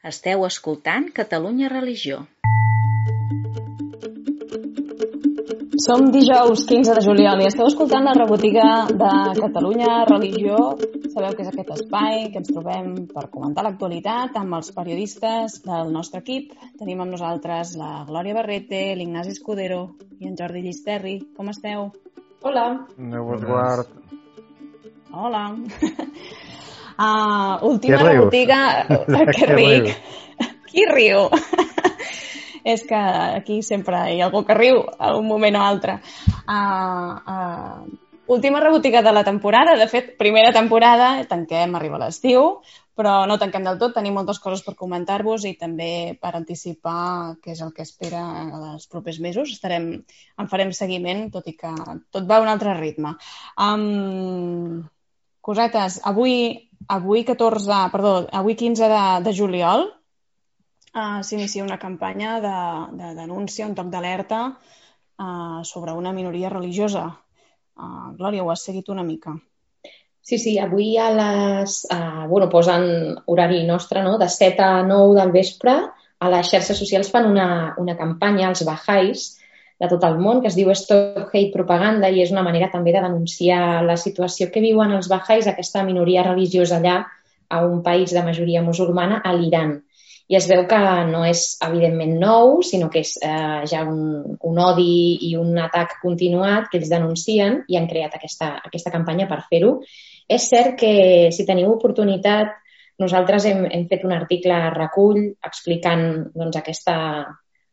Esteu escoltant Catalunya Religió. Som dijous 15 de juliol i esteu escoltant la rebotiga de Catalunya Religió. Sabeu que és aquest espai que ens trobem per comentar l'actualitat amb els periodistes del nostre equip. Tenim amb nosaltres la Glòria Barrete, l'Ignasi Escudero i en Jordi Llisterri. Com esteu? Hola. Déu us guard. Hola. Última rebotiga. Que ric. Qui riu? És que aquí sempre hi ha algú que riu a un moment o altre. Última rebotiga de la temporada. De fet, primera temporada, tanquem, arriba l'estiu, però no tanquem del tot. Tenim moltes coses per comentar-vos i també per anticipar què és el que espera els propers mesos. En farem seguiment, tot i que tot va a un altre ritme. Cosetes, avui 15 de juliol s'inicia una campanya de denúncia, un toc d'alerta sobre una minoria religiosa. Glòria, ho has seguit una mica. Sí, avui posen horari nostre, no? De 7 a 9 del vespre a les xarxes socials fan una campanya als Baha'is de tot el món que es diu Stop Hate Propaganda i és una manera també de denunciar la situació que viuen els Baha'is, aquesta minoria religiosa allà a un país de majoria musulmana, a l'Iran. I es veu que no és evidentment nou, sinó que és ja un odi i un atac continuat que ells denuncien i han creat aquesta campanya per fer-ho. És cert que si teniu oportunitat, nosaltres hem fet un article a Recull explicant doncs,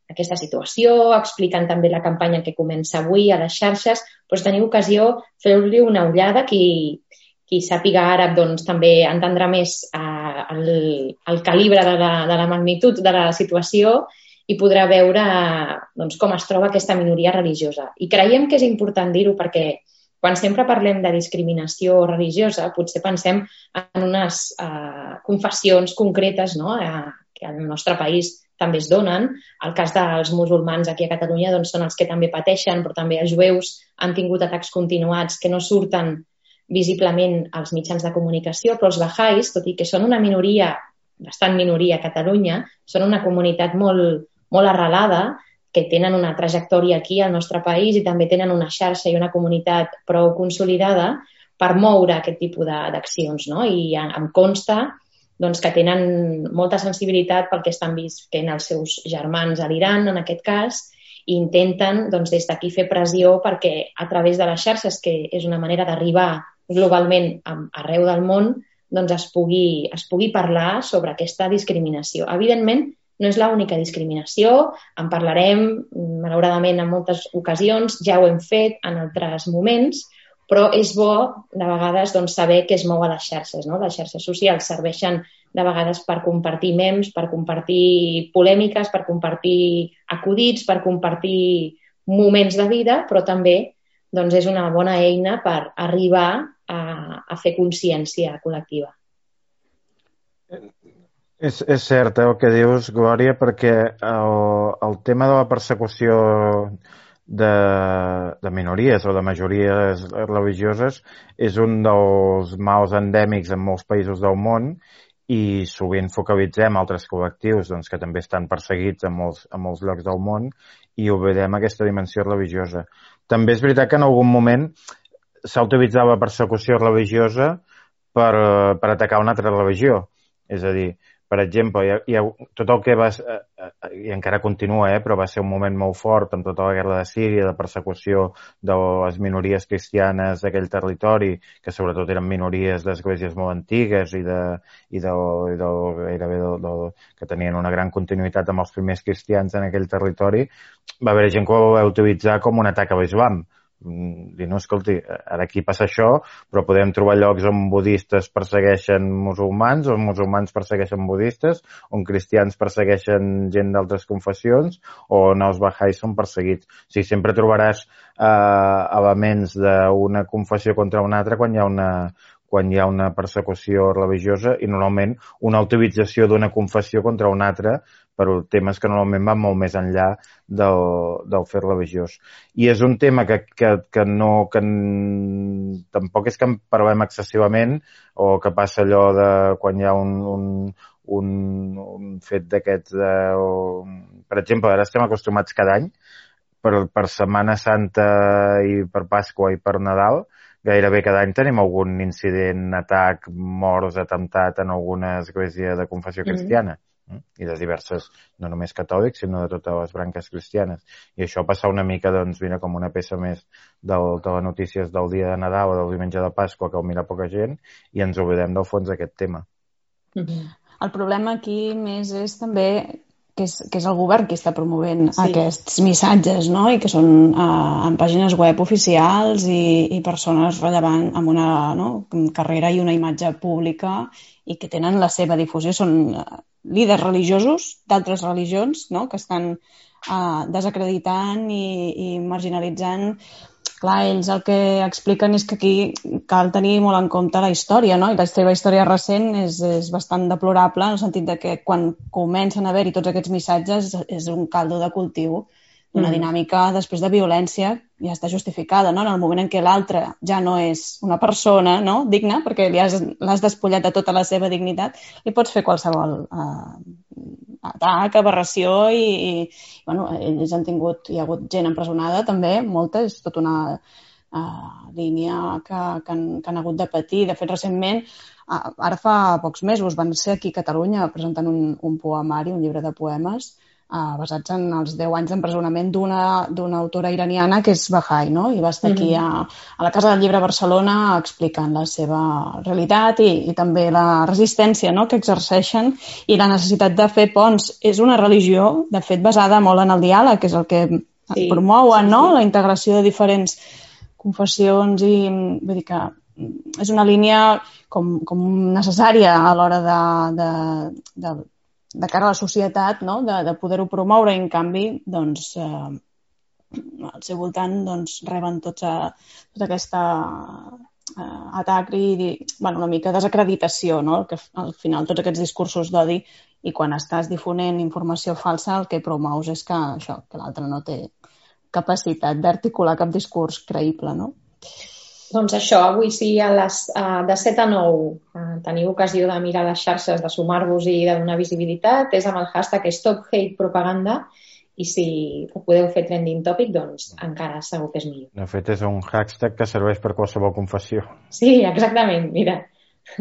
aquesta situació, explicant també la campanya que comença avui a les xarxes, però si teniu ocasió, feu-li una ullada. Qui sàpiga àrab doncs, també entendrà més el calibre de la magnitud de la situació i podrà veure doncs, com es troba aquesta minoria religiosa. I creiem que és important dir-ho perquè quan sempre parlem de discriminació religiosa potser pensem en unes confessions concretes, no? Que al nostre país també es donen. El cas dels musulmans aquí a Catalunya doncs, són els que també pateixen, però també els jueus han tingut atacs continuats que no surten visiblement als mitjans de comunicació, però els Baha'is, tot i que són una minoria, bastant minoria a Catalunya, són una comunitat molt, molt arrelada, que tenen una trajectòria aquí al nostre país i també tenen una xarxa i una comunitat prou consolidada per moure aquest tipus d'accions, no? I em consta doncs, que tenen molta sensibilitat pel que estan visquent els seus germans a l'Iran, en aquest cas, i intenten doncs, des d'aquí fer pressió perquè a través de les xarxes, que és una manera d'arribar globalment arreu del món, doncs es pugui parlar sobre aquesta discriminació. Evidentment, no és l'única discriminació, en parlarem, malauradament, en moltes ocasions, ja ho hem fet en altres moments, però és bo, de vegades, doncs, saber què es mou a les xarxes. No? Les xarxes socials serveixen de vegades per compartir memes, per compartir polèmiques, per compartir acudits, per compartir moments de vida, però també doncs, és una bona eina per arribar a fer consciència col·lectiva. És cert el que dius, Glòria, perquè el tema de la persecució de minories o de majories religioses és un dels mals endèmics en molts països del món i sovint focalitzem altres col·lectius doncs, que també estan perseguits en molts llocs del món i oblidem aquesta dimensió religiosa. També és veritat que en algun moment s'ha utilitzat la persecució religiosa per atacar una altra religió. És a dir, per exemple, tot el que va... i encara continua, però va ser un moment molt fort amb tota la guerra de Síria, de persecució de les minories cristianes d'aquell territori, que sobretot eren minories d'esglésies molt antigues i que tenien una gran continuïtat amb els primers cristians en aquell territori. Va haver gent que ho va utilitzar com un atac a l'islam. Dir, no, escolti, ara aquí passa això, però podem trobar llocs on budistes persegueixen musulmans, on musulmans persegueixen budistes, on cristians persegueixen gent d'altres confessions, o on els Baha'is són perseguits. O sigui, sempre trobaràs elements d'una confessió contra una altra quan hi ha una persecució religiosa i normalment una utilització d'una confessió contra una altra per temes que normalment van molt més enllà del fet religiós. I és un tema que tampoc és que en parlem excessivament o que passa allò de quan hi ha un fet d'aquests... per exemple, ara estem acostumats cada any, per Setmana Santa i per Pasqua i per Nadal, gairebé cada any tenim algun incident, atac, morts, atemptat en alguna església de confessió cristiana. I de diverses, no només catòlics, sinó de totes les branques cristianes. I això passa una mica, doncs, mira, com una peça més de les notícies del dia de Nadal o del diumenge de Pasqua, que ho mira poca gent, i ens oblidem del fons d'aquest tema. El problema aquí més és també que és el govern qui està promovent aquests missatges, no? I que són en pàgines web oficials i persones rellevants amb una carrera i una imatge pública i que tenen la seva difusió. Són líders religiosos d'altres religions, no? Que estan desacreditant i marginalitzant. Clar, ells el que expliquen és que aquí cal tenir molt en compte la història, no? I la seva història recent és bastant deplorable en el sentit de que quan comencen a haver-hi tots aquests missatges és un caldo de cultiu d'una dinàmica després de violència ja està justificada, no? En el moment en què l'altre ja no és una persona, no? Digna, perquè l'has despullat de tota la seva dignitat, li pots fer qualsevol atac, aberració i bueno, ells han tingut, hi ha hagut gent empresonada també, molta, és tota una línia que han hagut de patir. De fet, recentment, ara fa pocs mesos, van ser aquí a Catalunya presentant un poemari, un llibre de poemes, basats en els 10 anys d'empresonament d'una autora iraniana que és Bahá'í, no? I va estar aquí a la Casa del Llibre a Barcelona explicant la seva realitat i també la resistència, no?, que exerceixen i la necessitat de fer ponts. És una religió, de fet, basada molt en el diàleg, que és el que promouen, no?, la integració de diferents confessions i vull dir que és una línia com necessària a l'hora de cara a la societat, no?, de poder-ho promoure i, en canvi, doncs, al seu voltant doncs, reben tota aquesta atac i una mica desacreditació, no?, que al final tots aquests discursos d'odi i quan estàs difonent informació falsa el que promous és que l'altre no té capacitat d'articular cap discurs creïble, no? Doncs això, avui sí, de 7 a 9 teniu ocasió de mirar les xarxes, de sumar-vos i de donar visibilitat. És amb el hashtag StopHatePropaganda i si ho podeu fer trending topic, doncs encara segur que és millor. De fet, és un hashtag que serveix per qualsevol confessió. Sí, exactament, mira,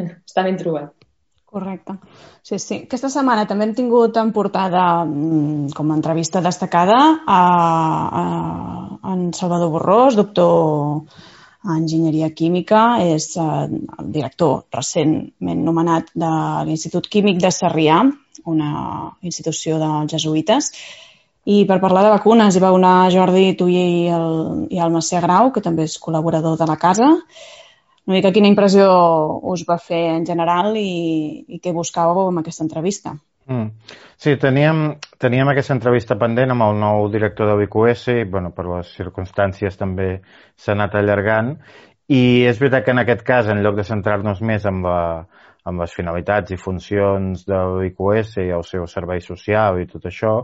està ben trobat. Correcte. Sí. Aquesta setmana també hem tingut en portada com a entrevista destacada en Salvador Borrós, doctor Enginyeria Química, és el director recentment nomenat de l'Institut Químic de Sarrià, una institució dels jesuïtes, i per parlar de vacunes hi va anar Jordi Tuller i el Macià Grau, que també és col·laborador de la casa. Una mica quina impressió us va fer en general i què buscàveu amb aquesta entrevista? Sí, teníem aquesta entrevista pendent amb el nou director de l'IQS i per les circumstàncies també s'ha anat allargant i és veritat que en aquest cas, en lloc de centrar-nos més amb les finalitats i funcions de l'IQS i el seu servei social i tot això,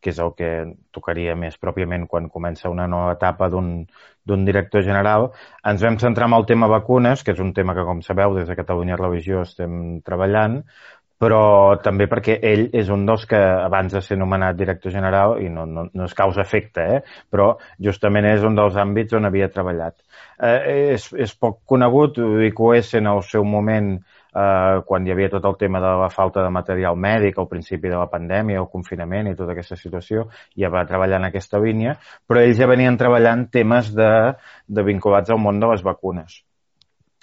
que és el que tocaria més pròpiament quan comença una nova etapa d'un director general, ens vam centrar en el tema vacunes, que és un tema que, com sabeu, des de Catalunya Religió estem treballant, però també perquè ell és un dels que abans de ser nomenat director general, i no és causa-efecte, però justament és un dels àmbits on havia treballat. És poc conegut, l'IQS en el seu moment, quan hi havia tot el tema de la falta de material mèdic, al principi de la pandèmia, el confinament i tota aquesta situació, ja va treballar en aquesta línia, però ells ja venien treballant temes vinculats al món de les vacunes.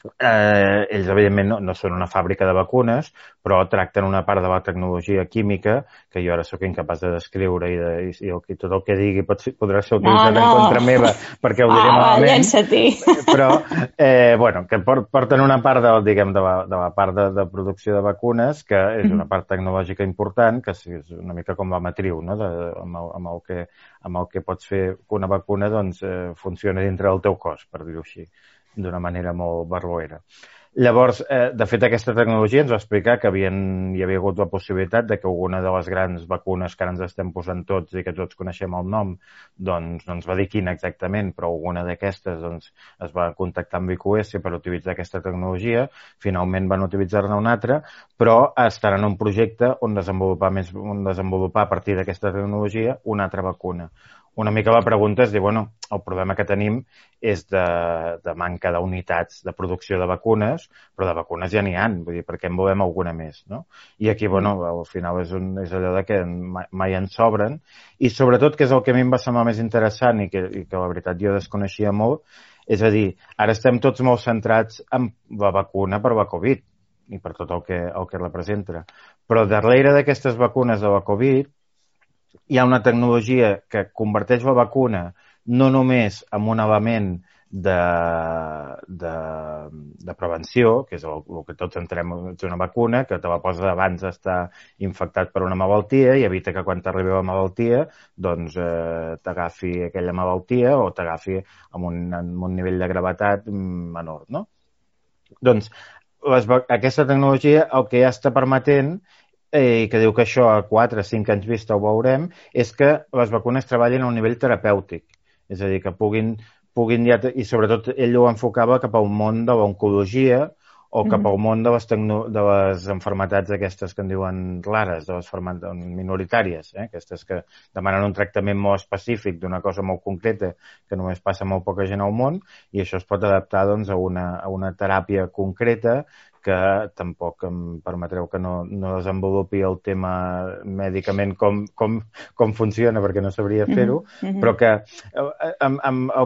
Ells, evidentment, no són una fàbrica de vacunes, però tracten una part de la tecnologia química, que jo ara sóc incapaç de descriure i tot el que digui podrà ser utilitzat en contra meva, perquè ho diré malament. Llença-t'hi. Però, que porten una part de la part de producció de vacunes, que és una part tecnològica important, que és una mica com la matriu, no?, amb el que pots fer que una vacuna funcioni dintre del teu cos, per dir-ho així, d'una manera molt barroera. Llavors, de fet, aquesta tecnologia ens va explicar que hi havia hagut la possibilitat de que alguna de les grans vacunes que ara ens estem posant tots i que tots coneixem el nom, doncs no ens va dir quina exactament, però alguna d'aquestes doncs, es va contactar amb IQS per utilitzar aquesta tecnologia. Finalment van utilitzar-ne una altra, però estaran en un projecte on desenvolupar a partir d'aquesta tecnologia una altra vacuna. Una mica la pregunta és dir, bueno, el problema que tenim és de manca d'unitats de producció de vacunes, però de vacunes ja n'hi ha, vull dir, per què en volem alguna més, no? I aquí, bueno, al final és allò de que mai en sobren, i sobretot, que és el que a mi em va semblar més interessant i que la veritat jo desconeixia molt, és a dir, ara estem tots molt centrats en la vacuna per la Covid i per tot el que representa. Però darrere d'aquestes vacunes de la Covid hi ha una tecnologia que converteix la vacuna no només en un element de prevenció, que és el que tots entrem en una vacuna, que te la poses abans d'estar infectat per una malaltia i evita que quan t'arribi la malaltia doncs t'agafi aquella malaltia o t'agafi amb un nivell de gravetat menor, no? Doncs aquesta tecnologia el que ja està permetent i que diu que això a 4 o 5 anys vista ho veurem, és que les vacunes treballin a un nivell terapèutic. És a dir, que puguin ja... I sobretot ell ho enfocava cap al món de l'oncologia o cap al món de les malalties aquestes que en diuen rares, de les minoritàries, aquestes que demanen un tractament molt específic d'una cosa molt concreta que només passa molt poca gent al món, i això es pot adaptar doncs, a una teràpia concreta que tampoc em permetreu que no desenvolupi el tema mèdicament com funciona, perquè no sabria fer-ho, però que el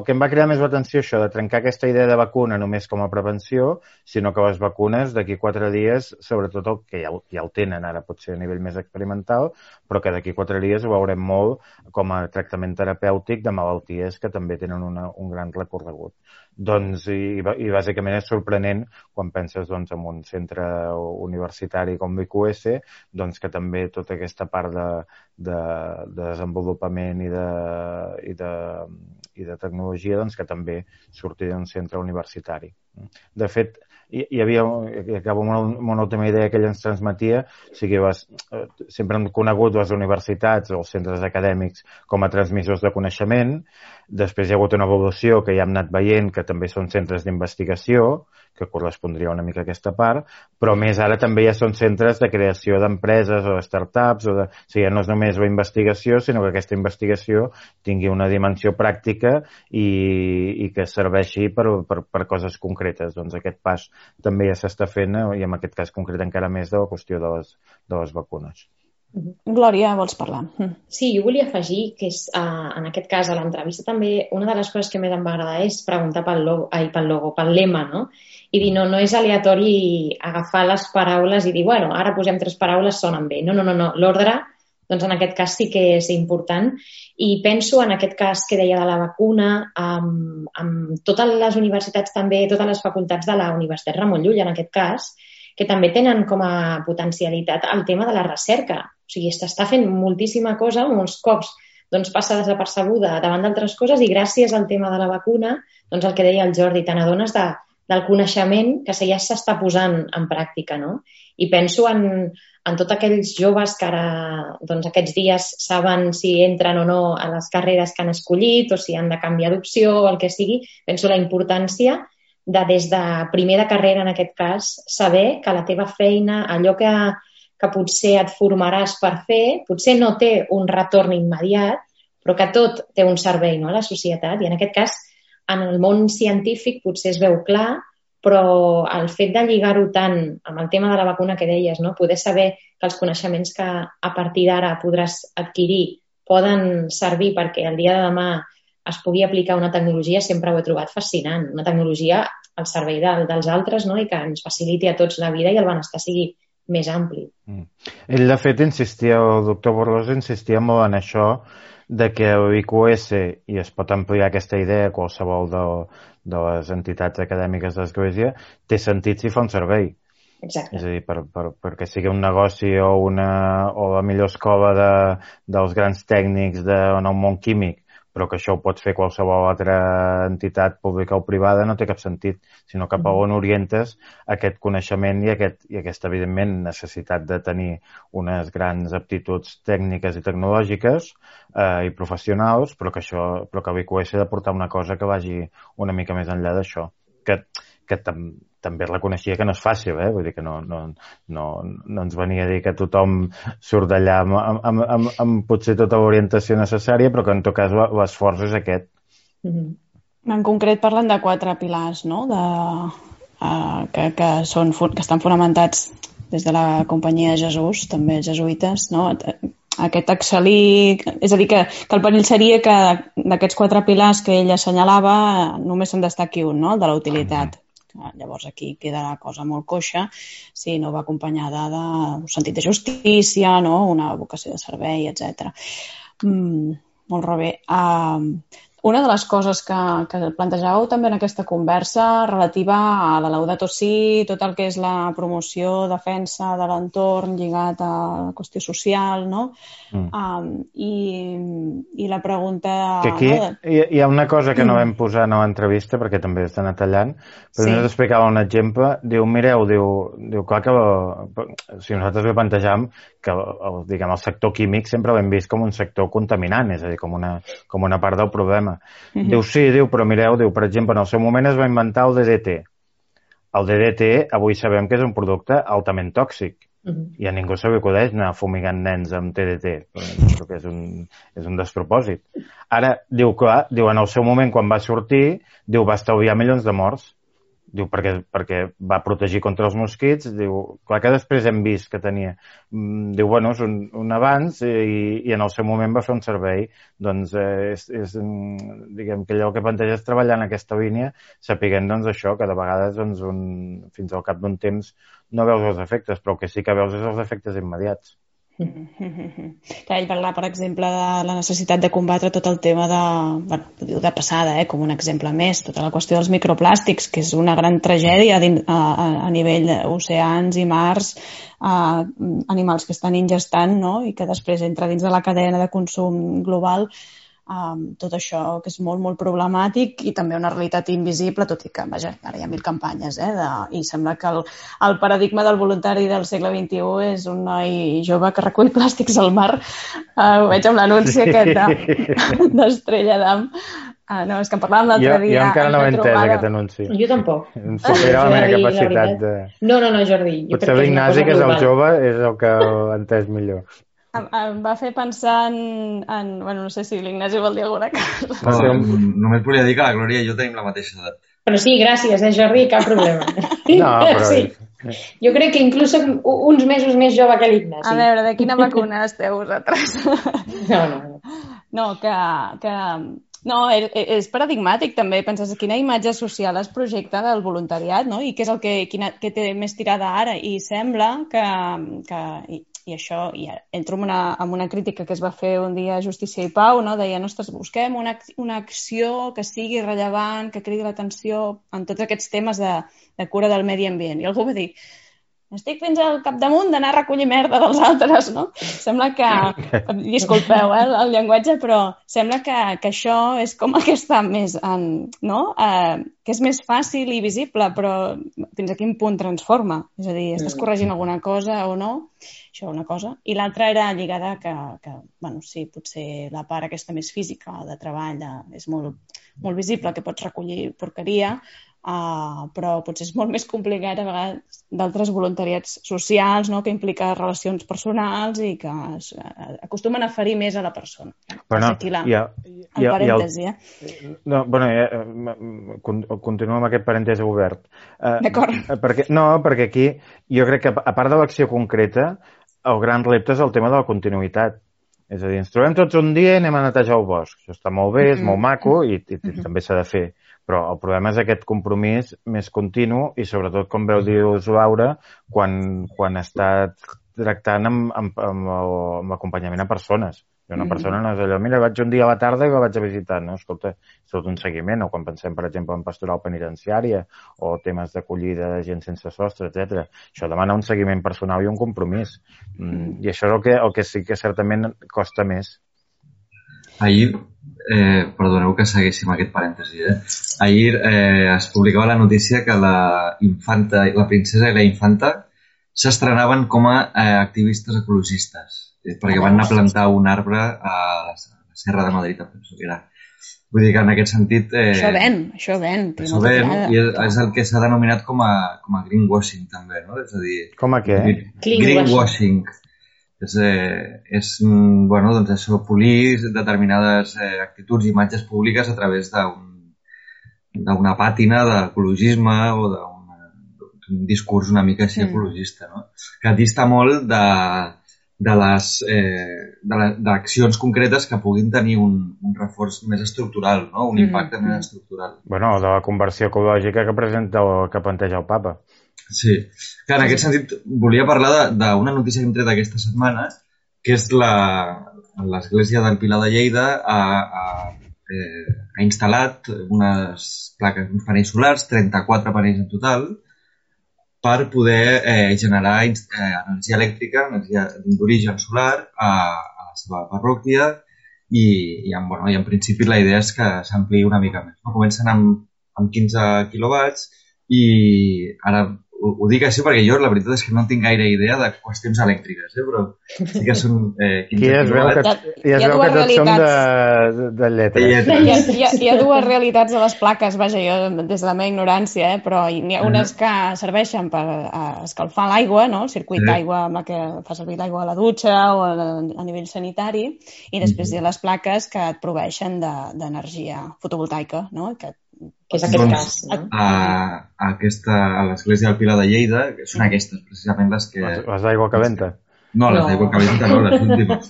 que em va cridar més l'atenció això, de trencar aquesta idea de vacuna només com a prevenció, sinó que les vacunes d'aquí 4 dies, sobretot el que ja el tenen ara, potser a nivell més experimental, però que d'aquí 4 dies ho veurem molt com a tractament terapèutic de malalties que també tenen un gran recorregut. Doncs, i bàsicament és sorprenent quan penses doncs, en un centre universitari com l'IQS, doncs, que també tota aquesta part de desenvolupament i de tecnologia doncs, que també surti d'un centre universitari. De fet, hi havia, acabo amb una última idea que ell ens transmetia, o sigui, sempre hem conegut les universitats o els centres acadèmics com a transmissors de coneixement, després hi ha hagut una evolució que ja hem anat veient que també són centres d'investigació, que correspondria una mica a aquesta part, però més ara també ja són centres de creació d'empreses o de startups, o sigui, no és només la investigació, sinó que aquesta investigació tingui una dimensió pràctica i que serveixi per coses concretes. Doncs aquest pas també ja s'està fent, i en aquest cas concret encara més de la qüestió de les vacunes. Glòria, vols parlar? Sí, jo volia afegir que en aquest cas a l'entrevista també una de les coses que més em va agradar és preguntar pel lema, no? I dir, no és aleatori agafar les paraules i dir, bueno, ara posem 3 paraules, sonen bé. No. L'ordre, doncs en aquest cas sí que és important. I penso en aquest cas que deia de la vacuna, amb totes les universitats també, totes les facultats de la Universitat Ramon Llull, en aquest cas, que també tenen com a potencialitat el tema de la recerca. O sigui, s'està fent moltíssima cosa, molts cops doncs, passa desapercebuda davant d'altres coses i gràcies al tema de la vacuna, doncs el que deia el Jordi, te n'adones del coneixement que ja s'està posant en pràctica, no? I penso en tots aquells joves que ara, doncs, aquests dies saben si entren o no a les carreres que han escollit o si han de canviar d'opció o el que sigui. Penso la importància des de primer de carrera, en aquest cas, saber que la teva feina, allò que potser et formaràs per fer, potser no té un retorn immediat, però que tot té un servei, no, a la societat. I en aquest cas, en el món científic potser es veu clar, però el fet de lligar-ho tant amb el tema de la vacuna que deies, no? Poder saber que els coneixements que a partir d'ara podràs adquirir poden servir perquè el dia de demà es pugui aplicar una tecnologia, sempre ho he trobat fascinant. Una tecnologia al servei dels altres, no? I que ens faciliti a tots la vida i el benestar sigui més ampli. Ell, de fet, el doctor Borrós insistia molt en això, de que l'IQS, i es pot ampliar aquesta idea a qualsevol de les entitats acadèmiques de l'Església, té sentit si fa un servei. Exacte. És a dir, perquè sigui un negoci o la millor escola dels grans tècnics en el món químic, però que això ho pot fer qualsevol altra entitat pública o privada no té cap sentit, sinó cap a on orientes aquest coneixement i aquesta, evidentment, necessitat de tenir unes grans aptituds tècniques i tecnològiques i professionals, però que l'IQS ha de portar una cosa que vagi una mica més enllà d'això, que també reconeixia que no és fàcil, vull dir que no ens venia a dir que tothom surt d'allà amb potser tota l'orientació necessària, però que en tot cas l'esforç és aquest. En concret parlen de 4 pilars, no? Que estan fonamentats des de la Companyia de Jesús, també els jesuïtes, no? Aquest excel·lir... És a dir, que el perill seria que d'aquests 4 pilars que ell assenyalava només se'n destaqui un, no? El de la utilitat. Llavors aquí queda la cosa molt coixa si no va acompanyada d'un sentit de justícia, no? Una vocació de servei, etc. Molt bé. Una de les coses que plantejàveu també en aquesta conversa relativa a la Laudato Si, tot el que és la promoció, defensa de l'entorn lligat a la qüestió social, no? I la pregunta... Que aquí hi ha una cosa que no vam posar en l'entrevista, perquè també està tallant, però ens explicava un exemple, mireu, clar que si nosaltres ho plantejam, que el sector químic sempre l'hem vist com un sector contaminant, és a dir, com una part del problema. Diu, sí, però mireu, per exemple, en el seu moment es va inventar el DDT. El DDT avui sabem que és un producte altament tòxic i a ningú se li acudeix anar fumigant nens amb TDT, perquè és un despropòsit. Ara, en el seu moment, quan va sortir, va estalviar milions de morts. Perquè va protegir contra els mosquits. Clar que després hem vist que tenia... és un avanç i en el seu moment va fer un servei. Doncs diguem que allò que planteja és treballar en aquesta línia, sapiguent això, que de vegades fins al cap d'un temps no veus els efectes, però el que sí que veus és els efectes immediats. Ell parla, per exemple, de la necessitat de combatre tot el tema de passada, com un exemple més, tota la qüestió dels microplàstics, que és una gran tragèdia a nivell d'oceans i mars, animals que estan ingestant, no? I que després entra dins de la cadena de consum global. Tot això que és molt, molt problemàtic i també una realitat invisible, tot i que, vaja, ara hi ha 1000 campanyes, i sembla que el paradigma del voluntari del segle XXI és un noi jove que recull plàstics al mar. Ho veig amb l'anunci aquest d'Estrella d'Am. No, és que en parlàvem l'altre dia. Jo encara no he entès aquest anunci. Jo tampoc. Em supera la meva capacitat de... No, Jordi. Potser l'Ignasi, que és el jove, és el que ho ha entès millor. Em va fer pensar no sé si l'Ignasi vol dir alguna cosa. Només volia dir que la Glòria i jo tenim la mateixa edat. Però sí, gràcies, Jordi, cap problema. No, però... Sí. Jo crec que inclús soc uns mesos més jove que l'Ignasi. A veure, de quina vacuna esteu vosaltres? No, No, és paradigmàtic també, penses quina imatge social es projecta del voluntariat, no? I què és el que té més tirada ara, i sembla que i això, i entro en una crítica que es va fer un dia a Justícia i Pau, no? Deien, ostres, busquem una acció que sigui rellevant, que cridi l'atenció en tots aquests temes de cura del medi ambient. I algú va dir, estic fins al capdamunt d'anar a recollir merda dels altres, no? Sembla que... Disculpeu, el llenguatge, però sembla que això és com el que està més no? Que és més fàcil i visible, però fins a quin punt transforma? És a dir, estàs corregint alguna cosa o no? Això una cosa. I l'altra era lligada que sí, potser la part aquesta més física de treball és molt, molt visible, que pots recollir porqueria, però potser és molt més complicat a vegades d'altres voluntariats socials, no? Que implica relacions personals i que acostumen a ferir més a la persona. Bueno, aquí el parèntesi. Continuo amb aquest parèntesi obert. D'acord. Perquè aquí jo crec que, a part de l'acció concreta, el gran repte és el tema de la continuïtat. És a dir, ens trobem tots un dia i anem a netejar el bosc. Això està molt bé, és molt maco i també s'ha de fer. Però el problema és aquest compromís més continu i sobretot, com veu dir Laura, quan està tractant amb l'acompanyament a persones. I una persona no és allò, mira, vaig un dia a la tarda i la vaig a visitar. No, escolta, és tot un seguiment. O quan pensem, per exemple, en pastoral penitenciària o temes d'acollida de gent sense sostre, etc. Això demana un seguiment personal i un compromís. I això és el que sí que certament costa més. Ahir, perdoneu que segueixi aquest parèntesi, ahir es publicava la notícia que la princesa i la infanta s'estrenaven com a activistes ecologistes, perquè van anar a plantar un arbre a la Serra de Madrid, penso que era. Vull dir que en aquest sentit... Això ven. Això ven, i és el que s'ha denominat com a greenwashing, també, no? És a dir... Com a què? Greenwashing. Bueno, doncs això, polir determinades actituds i imatges públiques a través d'una pàtina d'ecologisme o d'un discurs una mica així ecologista, no? Que dista molt d'accions concretes que puguin tenir un reforç més estructural, no? Un impacte més estructural. Bueno, de la conversió ecològica que planteja el Papa. Sí, que en aquest sentit volia parlar d'una notícia que hem tret aquesta setmana, que és l'Església del Pilar de Lleida ha instal·lat unes plaques, uns panells solars, 34 panells en total, per poder generar energia elèctrica, energia d'origen solar a la seva parròquia i en principi la idea és que s'ampliï una mica més. Comencen amb 15 quilowatts i ara ho dic així perquè jo la veritat és que no tinc gaire idea de qüestions elèctriques, però sí que són 15 quilowatts. I es veu que tots som de lletres. Hi ha dues realitats de les plaques, vaja, jo des de la meva ignorància, però n'hi ha unes que serveixen per escalfar l'aigua, no? El circuit d'aigua amb la que fa servir l'aigua a la dutxa o a nivell sanitari, i després hi ha les plaques que et proveeixen d'energia fotovoltaica, no? Que és aquest cas, no? A l'Església del Pilar de Lleida, que són aquestes, precisament les que... Les d'aigua calenta? No, les d'aigua calenta no, les últimes.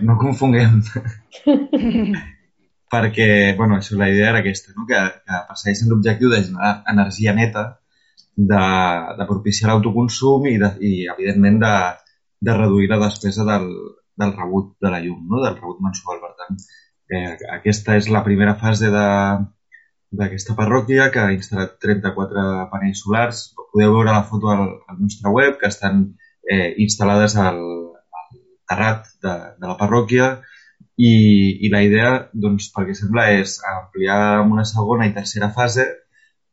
No confonguem. Perquè, bueno, la idea era aquesta, no? Que persegueixen l'objectiu de generar energia neta, de propiciar l'autoconsum i evidentment, de reduir la despesa del rebut de la llum, no? Del rebut mensual. Per tant, aquesta és la primera fase d'aquesta parròquia, que ha instal·lat 34 panells solars. Podeu veure la foto al nostre web, que estan instal·lades al terrat de la parròquia, i la idea, doncs, perquè sembla, és ampliar en una segona i tercera fase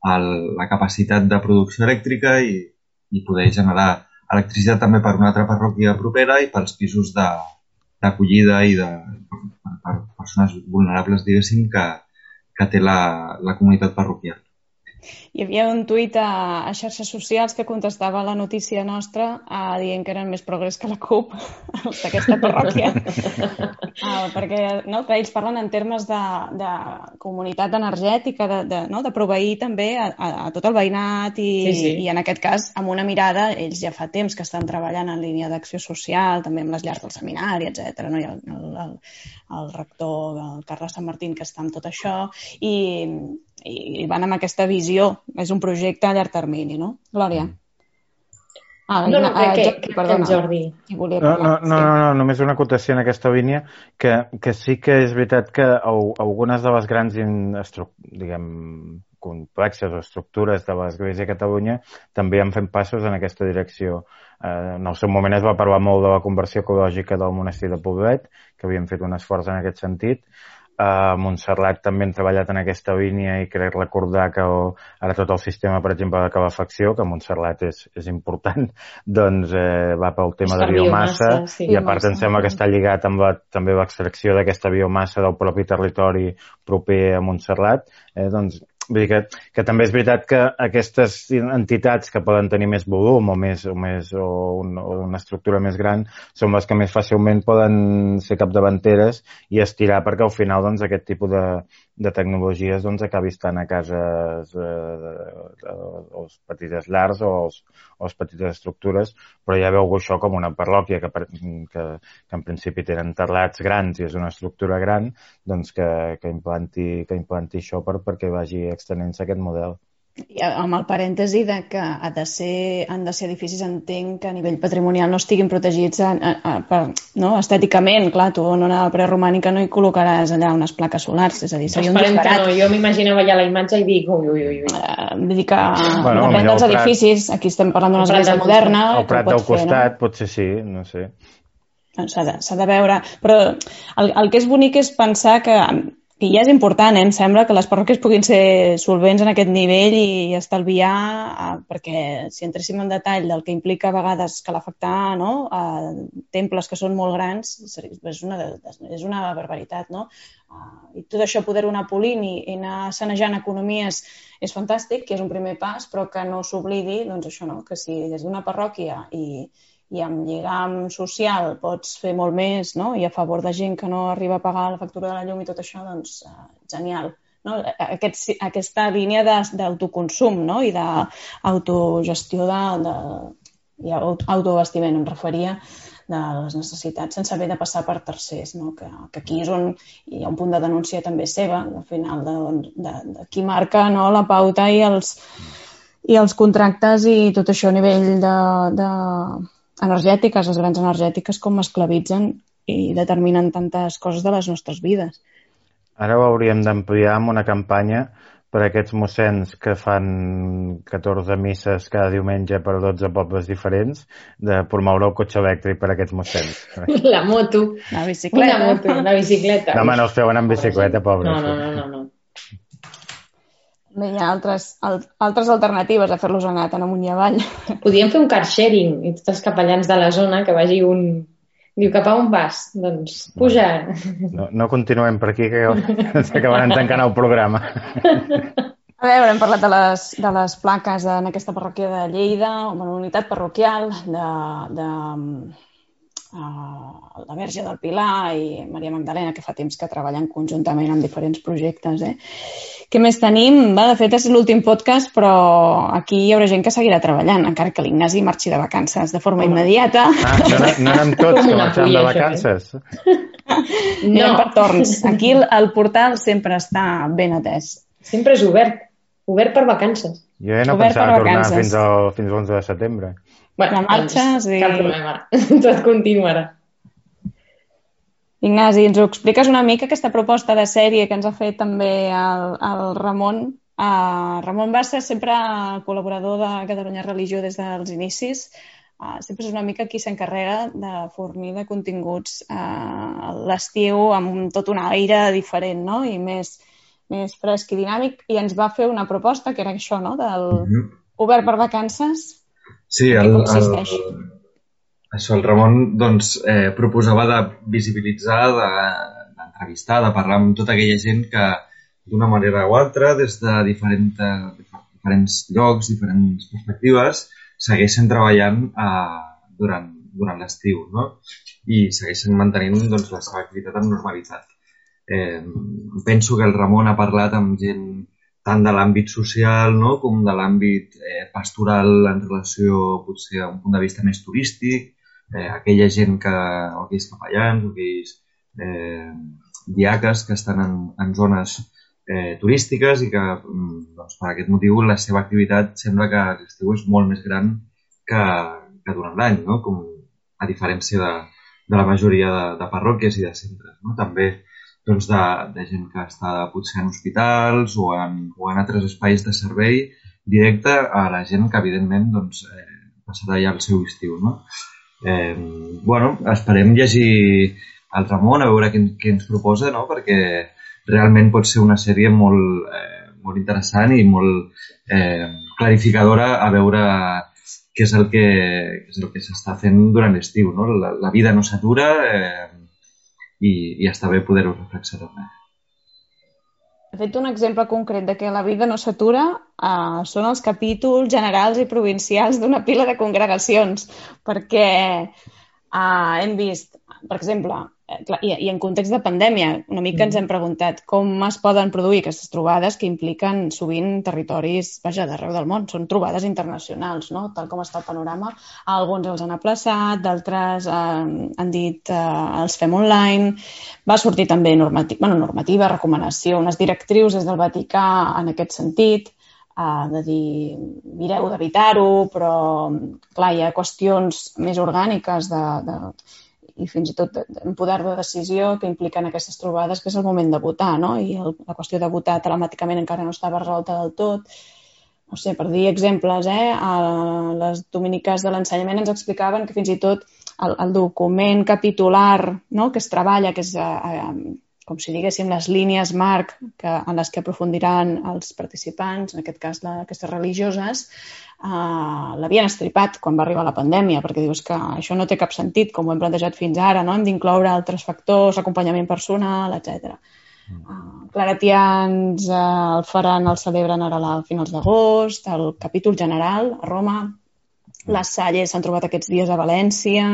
la capacitat de producció elèctrica i poder generar electricitat també per una altra parròquia propera i pels pisos d'acollida i per persones vulnerables, diguéssim, que té la comunitat parroquial. Hi havia un tuit a xarxes socials que contestava la notícia nostra dient que eren més progrés que la CUP d'aquesta parròquia. Perquè ells parlen en termes de comunitat energètica, de proveir també a tot el veïnat i en aquest cas amb una mirada, ells ja fa temps que estan treballant en línia d'acció social, també amb les llars del seminari, etc. Hi ha el rector, el Carles Sant Martín, que està amb tot això i van amb aquesta visió. És un projecte a llarg termini, no? Glòria. Jordi. No, només una acotació en aquesta línia, que sí que és veritat que algunes de les grans, complexes o estructures de l'Església de Catalunya també han fet passos en aquesta direcció. En el seu moment es va parlar molt de la conversió ecològica del monestir de Poblet, que havien fet un esforç en aquest sentit. A Montserrat també han treballat en aquesta línia i crec recordar que ara tot el sistema, per exemple, de calefacció, que a Montserrat és important, doncs va pel tema de biomassa i a part em sembla que està lligat amb també l'extracció d'aquesta biomassa del propi territori proper a Montserrat. Doncs vull dir que també és veritat que aquestes entitats que poden tenir més volum o una estructura més gran són les que més fàcilment poden ser capdavanteres i estirar perquè al final doncs, aquest tipus de tecnologies doncs, acabi estant a cases o les petites llars o les petites estructures, però ja veu això com una parròquia que en principi tenen terrats grans i és una estructura gran, doncs que implanti això perquè vagi extenent-se aquest model. I amb el parèntesi de que han de ser edificis, entenc que a nivell patrimonial no estiguin protegits estèticament. Clar, tu en una preromànica no hi col·locaràs allà unes plaques solars, és a dir, seria un disbarat. Jo m'imaginava ja la imatge i dic ui. Vull dir que depèn dels edificis, aquí estem parlant d'una església moderna. El Prat del costat potser sí, no sé. s'ha de veure. Però el que és bonic és pensar que ja és important, em sembla, que les parròquies puguin ser solvents en aquest nivell i estalviar, perquè si entréssim en detall del que implica a vegades cal afectar, no? A temples que són molt grans, és una barbaritat, no? I tot això poder-ho anar polint i anar sanejant economies és fantàstic, que és un primer pas, però que no s'oblidi, doncs això, no? Que si des d'una parròquia i amb lligam social pots fer molt més, no? I a favor de gent que no arriba a pagar la factura de la llum i tot això, doncs genial. No? Aquesta línia d'autoconsum, no? I d'autogestió i autoabastiment, em referia, de les necessitats sense haver de passar per tercers, no? Que aquí és on hi ha un punt de denúncia també seva, al final, de qui marca, no? La pauta i els contractes i tot això a nivell energètiques, les grans energètiques, com esclavitzen i determinen tantes coses de les nostres vides. Ara ho hauríem d'ampliar amb una campanya per a aquests mossens que fan 14 misses cada diumenge per 12 pobles diferents, de promoure el cotxe elèctric per a aquests mossens. La moto. La bicicleta. La bicicleta. No, home, no els feuen amb bicicleta, pobres. No. Bé, hi ha altres alternatives a fer-los anar tant amunt i avall. Podríem fer un car sharing i tots els capellans de la zona que vagi un... Diu, cap a on vas? Doncs puja. No continuem per aquí, que s'acabaran tancant el programa. A veure, hem parlat de les plaques en aquesta parròquia de Lleida, una unitat parroquial de la Verge del Pilar i Maria Magdalena, que fa temps que treballen conjuntament en diferents projectes. Què més tenim? De fet, és l'últim podcast, però aquí hi haurà gent que seguirà treballant, encara que l'Ignasi marxi de vacances de forma immediata. No anem tots que marxem de vacances. No, per torns. Aquí el portal sempre està ben atès. Sempre és obert per vacances. Jo ja no pensava tornar fins l'11 de setembre. Bueno, marxes i... Cap problema, tot continuarà. Ignasi, ens ho expliques una mica, aquesta proposta de sèrie que ens ha fet també el Ramon. Ramon va ser sempre col·laborador de Catalunya Religió des dels inicis. Sempre és una mica qui s'encarrega de fornir de continguts a l'estiu amb tot un aire diferent, no? I més fresc i dinàmic. I ens va fer una proposta que era això, no? Del obert per vacances. Sí, el Ramon doncs, proposava de visibilitzar, d'entrevistar, de parlar amb tota aquella gent que d'una manera o altra, des de diferents llocs, diferents perspectives, segueixen treballant durant l'estiu, no? I segueixen mantenint doncs, la seva activitat amb normalitat. Penso que el Ramon ha parlat amb gent tant de l'àmbit social, no? Com de l'àmbit pastoral en relació potser a un punt de vista més turístic, aquella gent o aquells capellans, o aquells diaques que estan en zones turístiques i que doncs, per aquest motiu la seva activitat sembla que a l'estiu és molt més gran que durant l'any, no? Com a diferència de la majoria de parròquies i de centres, no? També doncs, de gent que està potser en hospitals o en altres espais de servei directe a la gent que, evidentment, doncs, passarà ja el seu estiu, no? Esperem llegir el Ramon, a veure què ens proposa, no? Perquè realment pot ser una sèrie molt interessant i molt clarificadora a veure què és el que s'està fent durant l'estiu, no? La vida no s'atura i està bé poder-ho reflexionar. De fet, un exemple concret de que la vida no s'atura són els capítols generals i provincials d'una pila de congregacions, perquè hem vist, per exemple, i en context de pandèmia, una mica ens hem preguntat com es poden produir aquestes trobades que impliquen sovint territoris, d'arreu del món, són trobades internacionals, no? Tal com està el panorama. Alguns els han aplaçat, d'altres han dit els fem online. Va sortir també normativa, recomanació, unes directrius des del Vaticà en aquest sentit, de dir, mireu d'evitar-ho, però clar, hi ha qüestions més orgàniques i fins i tot en poder de decisió que impliquen aquestes trobades, que és el moment de votar, no? I la qüestió de votar telemàticament encara no estava resolta del tot. no sé, per dir exemples, a les dominiques de l'ensenyament ens explicaven que fins i tot el document capitular, no?, que es treballa, que és, com si diguéssim, les línies marc en les que aprofundiran els participants, en aquest cas aquestes religioses, l'havien estripat quan va arribar la pandèmia, perquè dius que això no té cap sentit, com ho hem plantejat fins ara, no? Hem d'incloure altres factors, acompanyament personal, etc. Claretians el faran, el celebren ara a finals d'agost, el capítol general a Roma, les Salles s'han trobat aquests dies a València,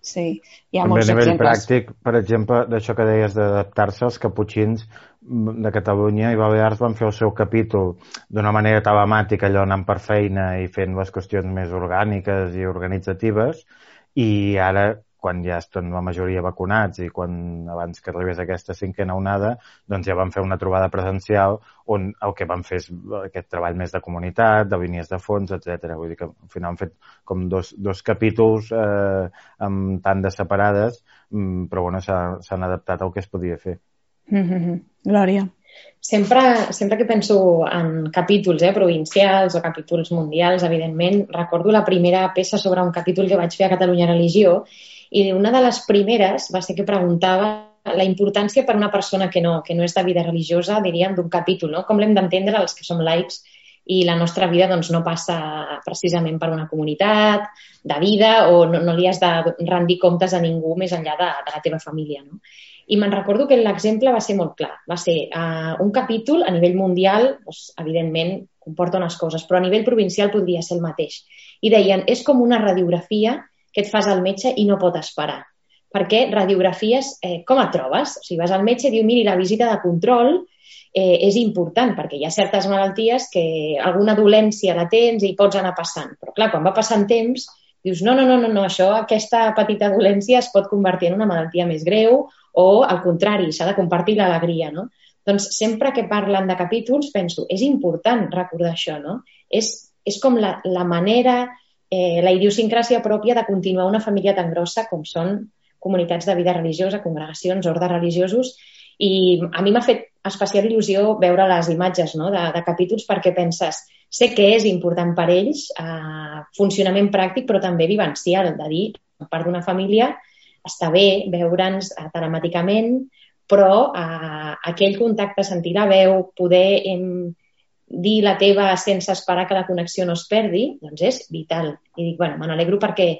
sí, hi ha molts exemples. A nivell pràctic, per exemple, d'això que deies d'adaptar-se, els caputxins de Catalunya i Balears van fer el seu capítol d'una manera telemàtica, allò anant per feina i fent les qüestions més orgàniques i organitzatives, i ara, quan ja estan la majoria vacunats i abans que arribés aquesta 5a onada, doncs ja van fer una trobada presencial on el que van fer és aquest treball més de comunitat, de línies de fons, etc. Vull dir que al final han fet com dos capítols amb tandes separades, però bueno, s'han adaptat al que es podia fer. Glòria. Sempre que penso en capítols provincials o capítols mundials, evidentment, recordo la primera peça sobre un capítol que vaig fer a Catalunya Religió, i una de les primeres va ser que preguntava la importància per una persona que no és de vida religiosa, diríem, d'un capítol, no? Com l'hem d'entendre els que som laics i la nostra vida doncs, no passa precisament per una comunitat de vida o no li has de rendir comptes a ningú més enllà de la teva família, no? I me'n recordo que l'exemple va ser molt clar. Va ser un capítol a nivell mundial, doncs, evidentment, comporta unes coses, però a nivell provincial podria ser el mateix. I deien, és com una radiografia que et fas al metge i no pot esperar. Perquè radiografies, com et trobes? O sigui, vas al metge i diu, miri, la visita de control és important, perquè hi ha certes malalties que alguna dolència la tens i pots anar passant. Però clar, quan va passant temps, dius, no, aquesta petita dolència es pot convertir en una malaltia més greu o, al contrari, s'ha de compartir l'alegria, no? Doncs sempre que parlen de capítols penso, és important recordar això, no? És com la manera, la idiosincràsia pròpia de continuar una família tan grossa com són comunitats de vida religiosa, congregacions, ordes religiosos, i a mi m'ha fet especial il·lusió veure les imatges, no?, de capítols, perquè penses, sé que és important per ells, funcionament pràctic, però també vivencial, de dir, per part d'una família, està bé veure'ns telemàticament, però aquell contacte, sentir la veu, poder dir la teva sense esperar que la connexió no es perdi, doncs és vital. I dic, bueno, me n'alegro perquè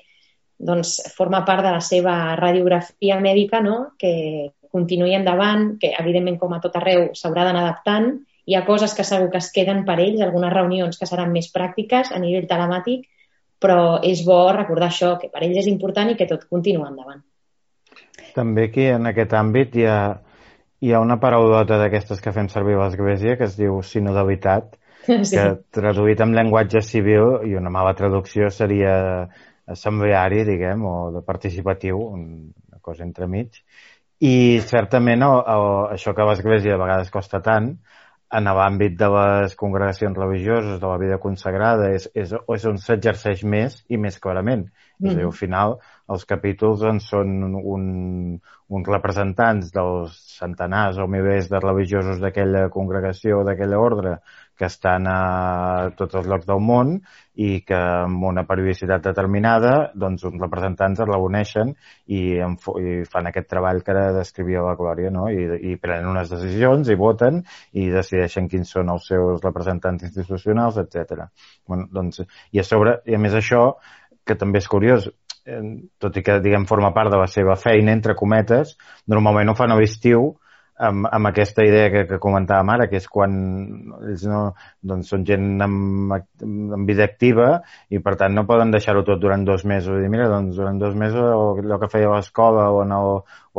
doncs, forma part de la seva radiografia mèdica, no?, que continuï endavant, que evidentment com a tot arreu s'haurà d'anar adaptant. Hi ha coses que segur que es queden per ells, algunes reunions que seran més pràctiques a nivell telemàtic, però és bo recordar això, que per ells és important i que tot continua endavant. També aquí, en aquest àmbit, hi ha una paraulota d'aquestes que fem servir a l'Església que es diu sinodalitat, sí, que traduït en llenguatge civil, i una mala traducció seria assembleari, diguem, o de participatiu, una cosa entremig. I certament això que a l'Església a vegades costa tant, en l'àmbit de les congregacions religioses, de la vida consagrada, és on s'exerceix més i més clarament. És a dir, al final, els capítols en són uns representants dels centenars o milers de religiosos d'aquella congregació o d'aquella ordre que estan a tots els llocs del món i que amb una periodicitat determinada, doncs uns representants es reuneixen i fan aquest treball que ara descrivia la Glòria, no? I prenen unes decisions i voten i decideixen quins són els seus representants institucionals, etc. Bueno, doncs, i a més això, que també és curiós, tot i que, diguem, forma part de la seva feina, entre cometes, normalment ho fan a l'estiu amb aquesta idea que comentàvem ara, que és quan ells doncs són gent amb vida activa i, per tant, no poden deixar-ho tot durant 2 mesos. I dir, mira, doncs durant 2 mesos allò que feia a l'escola o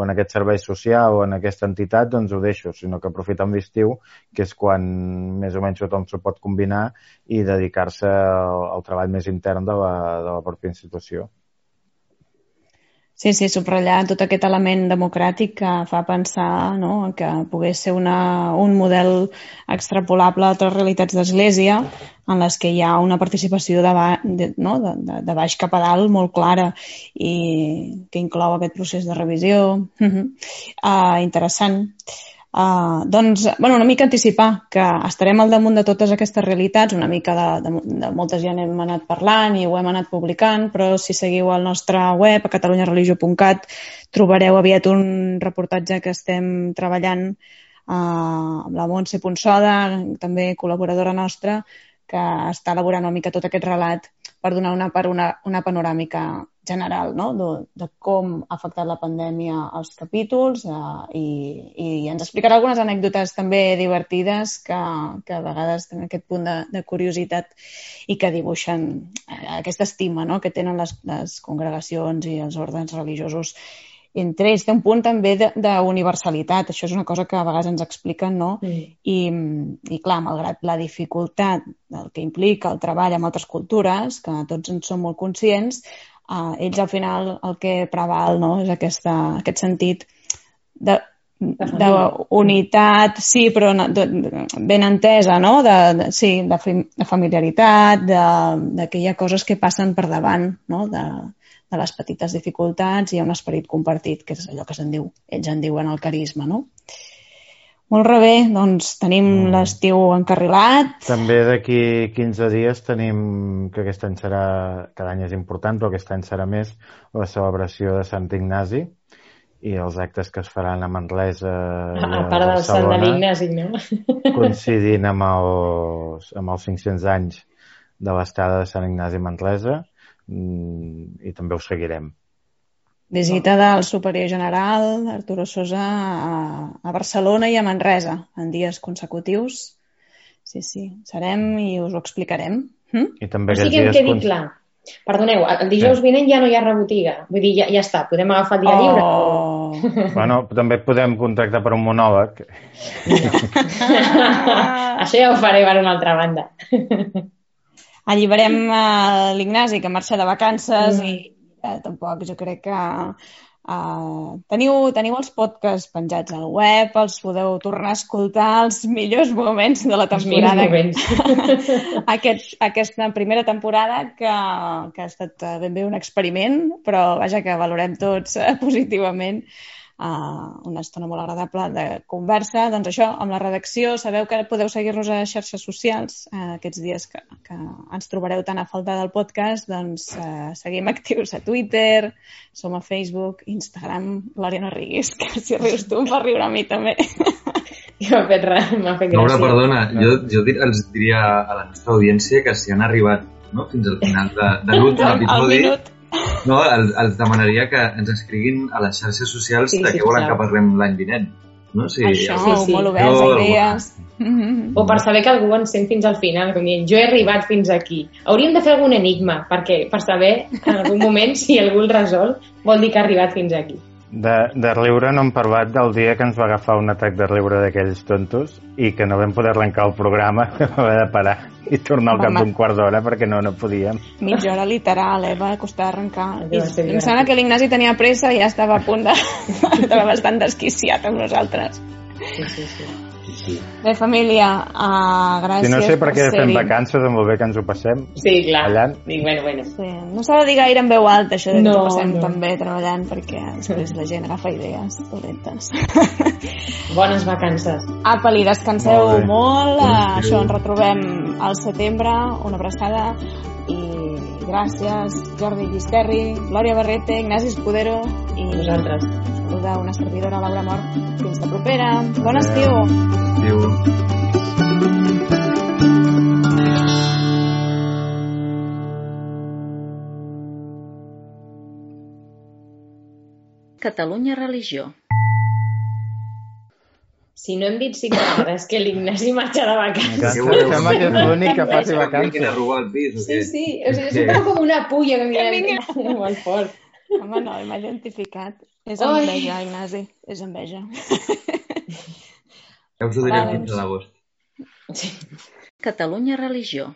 en aquest servei social o en aquesta entitat, doncs ho deixo, sinó que aprofiten l'estiu, que és quan més o menys tothom s'ho pot combinar i dedicar-se al treball més intern de la pròpia institució. Sí, subratllar tot aquest element democràtic que fa pensar, no?, que pogués ser un model extrapolable a altres realitats d'església en les que hi ha una participació de baix cap a dalt molt clara i que inclou aquest procés de revisió. Interessant. Doncs, una mica anticipar que estarem al damunt de totes aquestes realitats, una mica de moltes ja n'hem anat parlant i ho hem anat publicant, però si seguiu el nostre web, a catalunyareligio.cat, trobareu aviat un reportatge que estem treballant amb la Montse Ponsoda, també col·laboradora nostra, que està elaborant una mica tot aquest relat per donar una panoràmica general, no? de com ha afectat la pandèmia als capítols i ens explicarà algunes anècdotes també divertides que a vegades tenen aquest punt de curiositat i que dibuixen aquesta estima, no? que tenen les congregacions i els ordres religiosos entre ells. Té un punt també d'universalitat, això és una cosa que a vegades ens expliquen, no? I clar, malgrat la dificultat del que implica el treball amb altres cultures, que tots en som molt conscients, ells al final el que preval, no? És aquest sentit d'unitat, sí, però ben entesa, no? De familiaritat, que hi ha coses que passen per davant, no? De les petites dificultats, hi ha un esperit compartit, que és allò que ells en diuen el carisma, no? Molt bé, doncs tenim l'estiu encarrilat. També d'aquí 15 dies tenim, que aquest any serà, cada any és important, però aquest any serà més, la celebració de Sant Ignasi i els actes que es faran a Manresa i a part del Sant de l'Ignasi, no? Coincidint amb els 500 anys de l'estada de Sant Ignasi a Manresa, i també ho seguirem. Visita del superior general Arturo Sosa a Barcelona i a Manresa en dies consecutius. Sí, serem i us ho explicarem. I també que em quedi clar. Perdoneu, el dijous vinent ja no hi ha rebotiga. Vull dir, ja està, podem agafar el dia lliure. Bueno, també podem contractar per un monòleg. Això ja ho faré per una altra banda. Alliberem l'Ignasi, que marxa de vacances, i tampoc jo crec que teniu els podcasts penjats al web, els podeu tornar a escoltar els millors moments de la temporada. Aquesta primera temporada que ha estat ben bé un experiment, però vaja, que valorem tots positivament. Una estona molt agradable de conversa. Doncs això, amb la redacció, sabeu que podeu seguir-nos a xarxes socials aquests dies que ens trobareu tan a falta del podcast, doncs seguim actius a Twitter, som a Facebook, Instagram. Glòria, no riguis, que si rius tu em fa riure a mi també. M'ha fet gràcia. Laura, perdona, jo els diria a la nostra audiència que si han arribat fins al final de l'últim episodi, els demanaria que ens escriguin a les xarxes socials de què volen que parlem l'any vinent. No? Això, molt oberts a idees. O per saber que algú ens sent fins al final, com dient, jo he arribat fins aquí. Hauríem de fer algun enigma, perquè per saber en algun moment si algú el resol vol dir que ha arribat fins aquí. De riure no hem parlat del dia que ens va agafar un atac de riure d'aquells tontos i que no vam poder arrencar el programa, vam haver de parar i tornar al cap d'un quart d'hora perquè no podíem. Mitja hora literal, va costar arrencar. Em sembla que l'Ignasi tenia pressa i ja estava a punt estava bastant desquiciat amb nosaltres. Sí. Bé, família, gràcies. Si no sé per què fem vacances, amb el bé que ens ho passem. Sí, clar. Ballant. Bueno. Sí, no s'ha de dir gaire en veu alta, això de que ens ho passem també treballant, perquè després la gent agafa idees dolentes. Bones vacances. Apa-li, descanseu molt. Això, ens retrobem al setembre. Una abraçada. I gràcies, Jordi Gisterri, Glòria Barrete, Ignasi Escudero i vosaltres. Saluda una servidora, Laura Mort. Fins la propera. Bon estiu. Adéu. Catalunya Religió. Si no hem dit 5 vegades que l'Ignasi marxa de vacances. Sembla que és l'únic que faci vacances. Que robar el pis, o què? Sí. O sigui, és com una pulla que vinga molt fort. Home, no, m'ha identificat. És enveja, Ignasi. És enveja. Ja us ho diré fins a l'agost. Catalunya Religió.